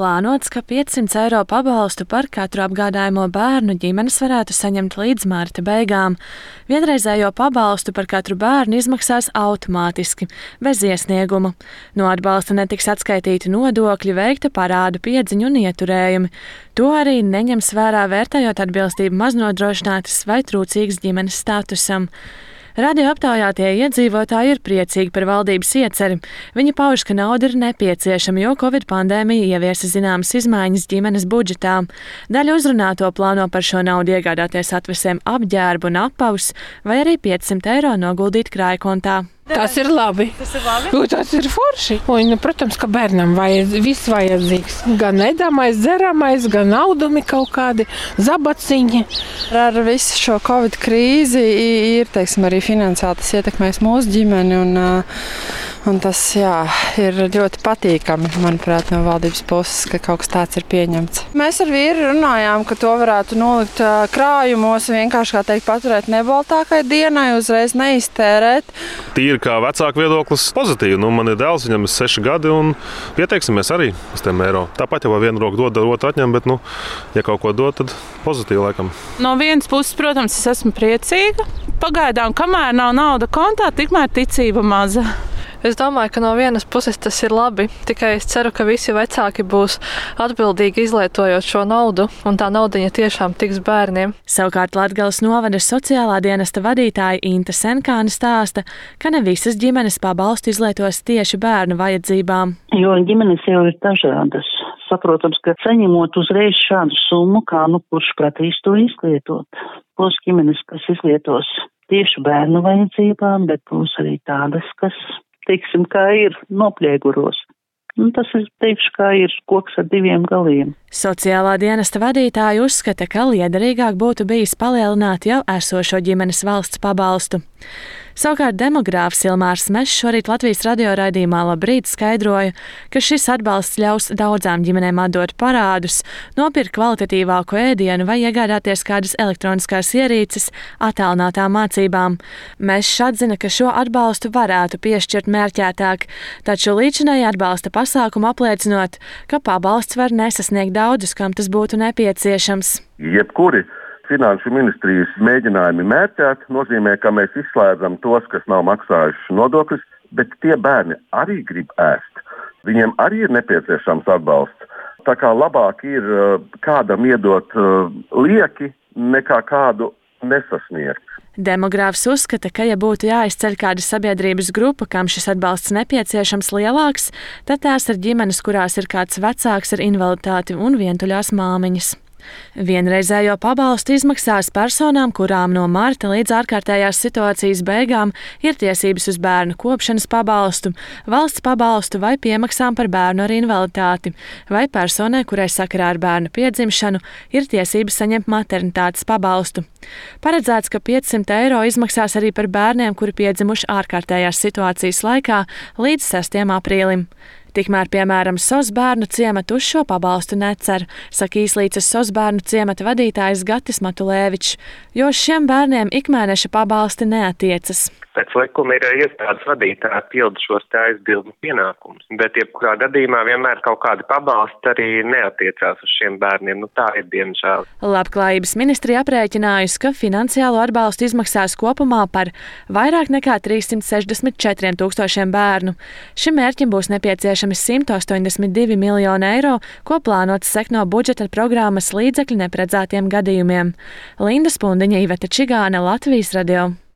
Plānots, ka 500 eiro pabalstu par katru apgādājamo bērnu ģimenes varētu saņemt līdz marta beigām. Vienreizējo pabalstu par katru bērnu izmaksās automātiski, bez iesnieguma. No atbalsta netiks atskaitīti nodokļi, veikta parādu piedziņu un ieturējumi. To arī neņems vērā vērtējot atbilstību maznodrošinātas vai trūcīgas ģimenes statusam. Radio aptaujātie iedzīvotāji ir priecīgi par valdības ieceri. Viņi pauž, ka nauda ir nepieciešama, jo Covid pandēmija ieviesa zināmas izmaiņas ģimenes budžetā. Daļa uzrunāto plāno par šo naudu iegādāties atvesēm apģērbu un apavus, vai arī 500 eiro noguldīt krājkontā. Tas ir labi. Tas ir forši. Un, protams, ka bērnam viss vajadzīgs. Gan ēdamais, dzeramais, gan naudumi kaut kādi, zabaciņi. Ar visu šo Covid krīzi ir, arī finansiāli tas ietekmēs mūsu ģimeni. Un tas, ir ļoti patīkami, manuprāt, no valdības puses, ka kaut kas tāds ir pieņemts. Mēs ar vīru runājām, ka to varētu nolikt krājumos, vienkārši, kā teikt, paturēt nebaltākai dienai, uzreiz neiztērēt. Tīri kā vecāku viedoklis pozitīvi. Man ir dēls, viņam ir 6 gadi un pieteiksimies arī uz tiem eiro. Tāpat jau vienu roku dod, otru atņem, bet, ja kaut ko dod, tad pozitīvi laikam. No vienas puses, protams, es esmu priecīga. Pagaidām, kamēr nav nauda kontā, tikmēr ticība maza. Es domāju, ka no vienas puses tas ir labi, tikai es ceru, ka visi vecāki būs atbildīgi izlietojot šo naudu, un tā naudiņa tiešām tiks bērniem. Savukārt Latgales novada sociālā dienesta vadītāja Inte Senkāne stāsta, ka ne visas ģimenes pabalstu izlietos tieši bērnu vajadzībām. Jo ģimenes jau ir dažādas. Saprotams, ka saņemot uzreiz šādu summu, kā kurš prasīs to izlietot. Būs ģimenes, kas izlietos tieši bērnu vajadzībām, bet būs arī tādas, kas, teiksim, kā ir noplieguros. Tas ir, teikšu, kā ir koks ar 2 galiem. Sociālā dienesta vadītāja uzskata, ka liederīgāk būtu bijis palielināt jau esošo ģimenes valsts pabalstu. Savukārt demogrāfs Ilmārs Mešs šorīt Latvijas radio raidījumā Labrīt skaidroja, ka šis atbalsts ļaus daudzām ģimenēm atdot parādus, nopirkt kvalitatīvāku ēdienu vai iegādāties kādas elektroniskās ierīces attālinātām mācībām. Mešs atzina, ka šo atbalstu varētu piešķirt mērķētāk, taču līdzinēji atbalsta pasākumu apliecinot, ka pabalsts var nesasniegt daudzus, kam tas būtu nepieciešams. Jebkuri Finanšu ministrijas mēģinājumi mērķēt nozīmē, ka mēs izslēdzam tos, kas nav maksājuši nodokļus, bet tie bērni arī grib ēst. Viņiem arī ir nepieciešams atbalsts. Tā kā labāk ir kādam iedot lieki, nekā kādu nesasniegt. Demogrāfs uzskata, ka, ja būtu jāizceļ kāda sabiedrības grupa, kam šis atbalsts nepieciešams lielāks, tad tās ir ģimenes, kurās ir kāds vecāks ar invaliditāti un vientuļās māmiņas. Vienreizējo pabalstu izmaksās personām, kurām no marta līdz ārkārtējās situācijas beigām ir tiesības uz bērnu kopšanas pabalstu, valsts pabalstu vai piemaksām par bērnu ar invaliditāti, vai personai, kurai sakarā ar bērnu piedzimšanu ir tiesības saņemt maternitātes pabalstu. Paredzēts, ka 500 eiro izmaksās arī par bērniem, kuri piedzimuši ārkārtējās situācijas laikā līdz 6. aprīlim. Tikmēr, piemēram, SOS bērnu ciematu uz šo pabalstu necer, saka Īslīces SOS bērnu ciemata vadītājs Gatis Matulēvičs, jo šiem bērniem ikmēneša pabalsti neatiecas. Pēc likuma ir iestādes vadītāji pilda šos aizbildņu pienākumus, bet jebkurā gadījumā vienmēr kaut kādi pabalsti arī neatiecās uz šiem bērniem. Tā ir diemžēl. Labklājības ministrija aprēķinājusi, ka finansiālo atbalstu izmaksās kopumā par vairāk nekā 364 000 bērnu. Šim mērķim būs nepieciešami 182 miljoni eiro, ko plānots sekt no budžeta programmas līdzekļu neparedzētiem gadījumiem. Linda Spundiņa, Iveta Čigāne, Latvijas radio.